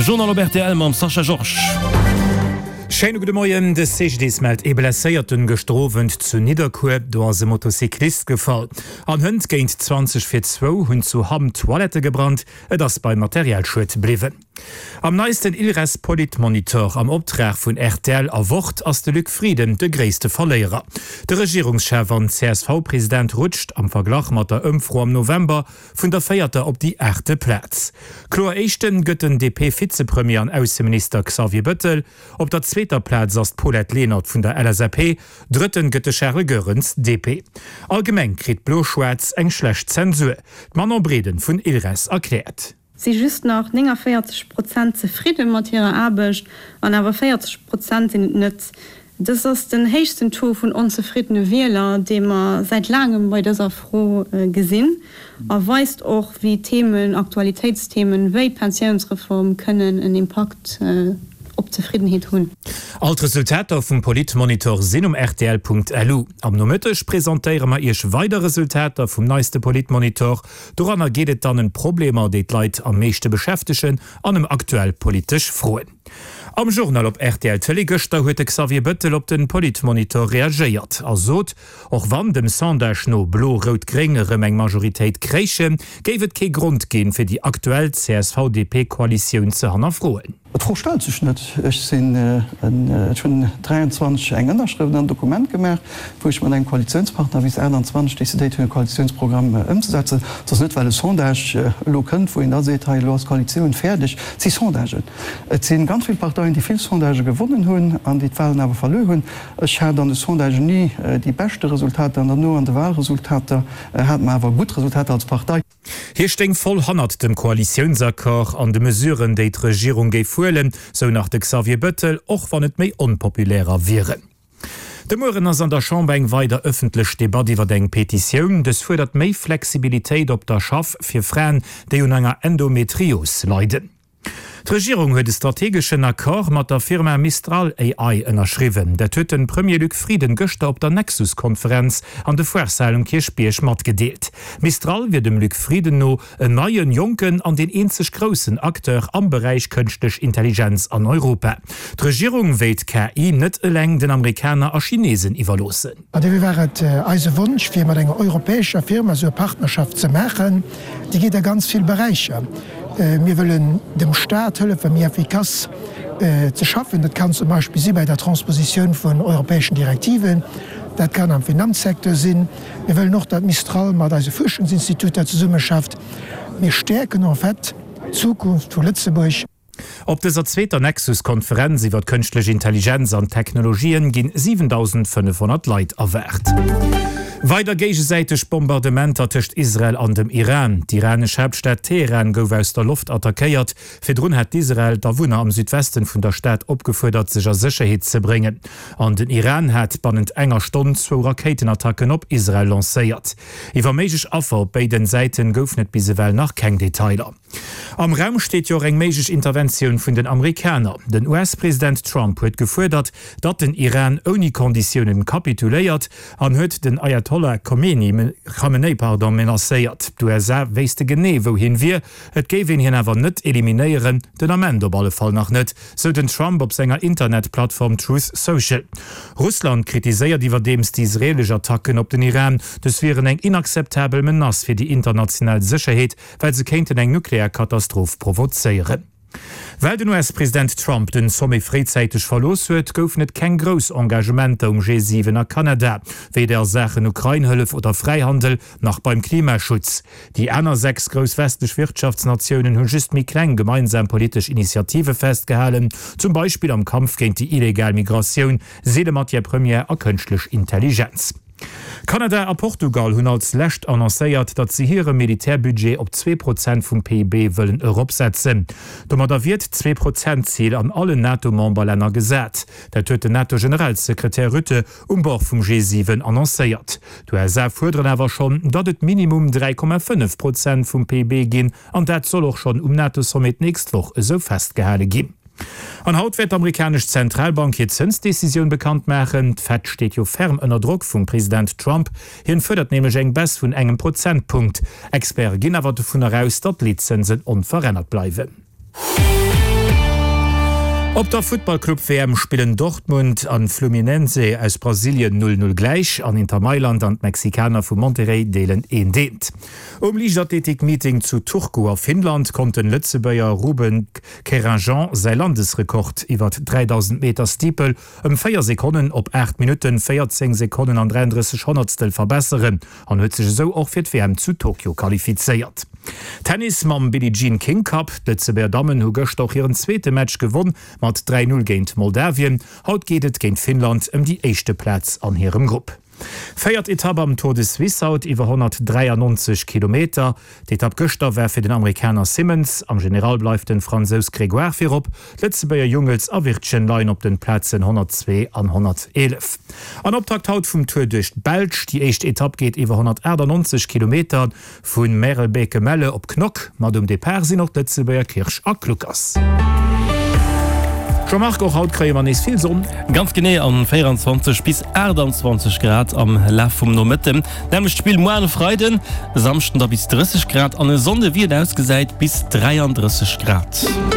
Journal op rtl mam Sascha Georges. Schéine gudde Moien. De CGDIS mellt ee Blesséierten gëschter Owend zu Nidderkuer. Do ass e Motocyclist gefall. An hënt géint 20 vir zwou hunn zu Hamm Toilette gebrannt. Et ass beim Materialschued bliwwen. Am neisten Ilres Politmonitor am Optrag vun rtl a Wort ass de Luc Frieden de gréisste Verléierer. De Regierungschef an CSV-President rutscht, am Verglach mat der Ëmfro am November, vun der véierter op déi aachte Plaz. Kloer Éischte gëtt den DP-Vizepremier an Ausseminister Xavier Bëttel. Op der zweeter Plaz ass d'Paulette Lenert vun der LSAP, Drëtten gëtt de Charles Goerens, DP. Allgemeng kritt Blo-Schwaarz eng schlecht Zensur. D'Manon Breden vun ILRES erkläert. Si just nach 49 Prozent zefridde mat hirer Aarbecht an awer 40 Prozent sinn et net. Dëst ass den héichsten Taux vun onzefriddene Wieler, dee mer säit laangem bei dëser Fro gesinn a weist och, wéi Themen, Aktualitéitsthemen wéi d'Pensiounsreform kënnen en Impakt op d'Zefriddenheet hunn. All d'Resultater vum Politmonitor sinn um rtl.lu. Am Nomëtteg presentéiere mer Iech weider Resultater vum neiste Politmonitor. Doranner geet et dann ëm d'Problemer, déi d'Leit am meeschte beschäftegen an ëm aktuell politesch Froen. Am Journal op rtl Tëlee gëschter huet de Xavier Bëttel op de Politmonitor reagéiert a sot, och wann dem Sondage no Blo-Rout-Gréng erëm eng Majoritéit kréichen, géif et kee Grond ginn, fir déi aktuell CSV-DP-Koalitioun ze hannerfroen. D'Fro stellt sech net. Ech sinn, ech hunn 23 eng Ënnerschrëft an en Dokument gemaach, wou ech mat engem Koalitiounspartner bis 28 decidéiert hunn, e Koalitiounsprogramm ëmzesetzen. Et ass net, well e Sondage elo kënnt, wou een da seet, hei elo ass d'Koalitioun fäerdeg. Et si Sondagen. Et si ganz vill Parteien, déi vill Sondagë gewonnen hunn an déi d'Wahlen awer verluer hunn. Ech hat an de Sondagen ni déi beschte Resultater an derno an de Wahlresultater hate mer awer gutt Resultater als Partei. Hie stéing voll hannert dem Koalitiounsaccord an de Mesuren, déi d'Regierung géif huelen, sou nach de Xavier Bëttel, och wann et méi onpopulärer wieren. De Mueren ass an der Chamber eng weider ëffentlech Debatt iwwer eng Petitioun. Dës fuerdert méi Flexibilitéit op der Schaff fir Fraen, déi un enger Endometrios leiden. D'Regierung huet e strategeschen Accord mat der Firma Mistral AI ënnerschriwwen. Dat huet de Premier Luc Frieden gëschter op der Nexus-Konferenz an de Foireshal um Kierchbierg matgedeelt. Mistral wier dem Luc Frieden no en neien, jonken an deen eenzeg groussen Acteur am Beräich kënschtlech Intelligenz an Europa. D'Regierung wéilt KI net eleng den Amerikaner a Chinesen iwwerloossen. An dofir war et eise Wonsch, fir mat enger europäescher Firma esou e Partnerschaft ze maachen. Déi geet a ganz vill Beräicher. Mir wëllen dem Stat hëllefen, méi effikass ze schaffen. Dat kann zum Beispill si bei der Transpositioun vun europäeschen Direktiven. Dat kann am Finanzsecteur sinn. Mir wëllen och, datt Mistral mat eise Fuerschungsinstituter zesummeschafft. Mir stäerken en fait d'Zukunft vu Lëtzebuerg. Op dëser zweeter Nexus-Konferenz iwwer d'kënschtlech Intelligenz an Technologien ginn 7.500 Leit erwaart. Weider géigesäiteg Bombardementer tëscht Israel an dem Iran. D'iranesch Haaptstad Teheran gouf aus der Loft attackéiert. Virdrun hat d'Israel d'Awunner am Südwesten vun der Stad opgefuerdert, sech a Sécherheet ze bréngen. An den Iran hat bannent enger Stonn zwou Rakéitenattacken op Israel lancéiert. Iwwer méiglech Affer op béiden Säiten goufen et bis ewell nach keng Detailer. Am Raum steet jo och eng méiglech Interventioun vun den Amerikaner. Den US-President Trump huet gefuerdert, datt den Iran ouni Konditiounen kapituléiert an huet den Ayatollah Khomeini, Khamenei pardon, menacéiert. D'USA wéisste genee wou hien wier, et géif een hien awer net eliminéieren, den Ament op alle Fall nach net, sou den Trump op senger Internetplattform Truth Social. Russland kritiséiert iwwerdeems déi israeelesch Attacken op den Iran. Dës wieren eng inakzeptabel Menace fir déi international Sécherheet, well se kéinten eng nuklear Katastroph provozéieren. Well den US-President Trump den Sommet fréizäiteg verlooss huet, goufen et keng grouss Engagementer um G7 a Kanada, weder a Saachen Ukrain-Hëllef oder Fräihandel, nach beim Klimaschutz. Déi aner 6 grouss westlech Wirtschaftsnatiounen hu just méi kleng gemeinsam politesch Initiative festgehalen, zum Beispill am Kampf géint déi illegal Migratioun, seele Matière première a kënschtlech Intelligenz. Kanada a Portugal hunn als lescht annoncéiert, datt se hire Militärbudget op 2 Prozent vum PIB wëllen eropsetzen. Domadder wier d'Zwee-Prozent-Zil an allen NATO-Memberlänner gesat. Dat huet den NATO-Generalsekretär Rutte um Bord vum G7 annoncéiert. D'USA fuerderen awer schonn, datt et minimum 3,5 Prozent vum PIB ginn, an dat soll och schonn um NATO-Sommet d'nächst Woch esou festgehale ginn. An haut wäert d'amerikanesch Zentralbank hir Zënsdecisioun bekannt maachen. D'Fed steet jo ferm ënner Drock vum President Trump. Hien fuerdert nämlech eng Baisse vun engem Prozentpunkt. Experte ginn awer dovunner aus, datt d'Leetzënsen onverännert bleiwen. Op der Futtballclub-WM spillen Dortmund an Fluminense aus Brasilien 0, 0 gläich an Inter Mailand an d'Mexikaner vu Monterrey deelen eent, eent. Um Liichtathletik-Meeting zu Turku a Finnland konnt den Lëtzebuerger Ruben Keringean säi Landesrekord iwwert 3000 Meter Steeple ëm 4 Sekonnen op 8 Minutten, 14 Sekonnen an 33 Honnertstel verbesseren an huet sech esou och fir d'WM zu Tokio qualifizéiert. Tennis mam Billie Jean King Cup, D'Lëtzebuerger Dammen hu gëschter och hiren zweete Match gewonn mat 3, 0 géint Moldawien. Haut geet et géint Finnland ëm déi éischte Plaz an hirem Grupp. Véiert Etapp am Tour de Suisse haut iwwer 193 Kilometer. D'Etapp gëschter war fir den Amerikaner Simmons. Am General bleift den Fransous Grégoire virop. D'Lëtzebuerger Jungels a Wirtgen leien op den Plazen 102 an 111. An Optakt haut vum Tour duerch d'Belsch. Déi éischt Etapp geet iwwer 198 Kilometer Vu Merelbeke-Melle op Knock. Mat um Depart sinn och d'Lëtzebuerger Kirsch a Kluckers. Jean-Marc, och haut kréie mer nees vill Sonn. Ganz genee, an 24 bis 28 Grad am Laf vum Nomëtten. Nämmlecht Spill muar e Freiden, e Samschden da bis 30 Grad an e Sonnde wéi et ausgesäit bis 33 Grad.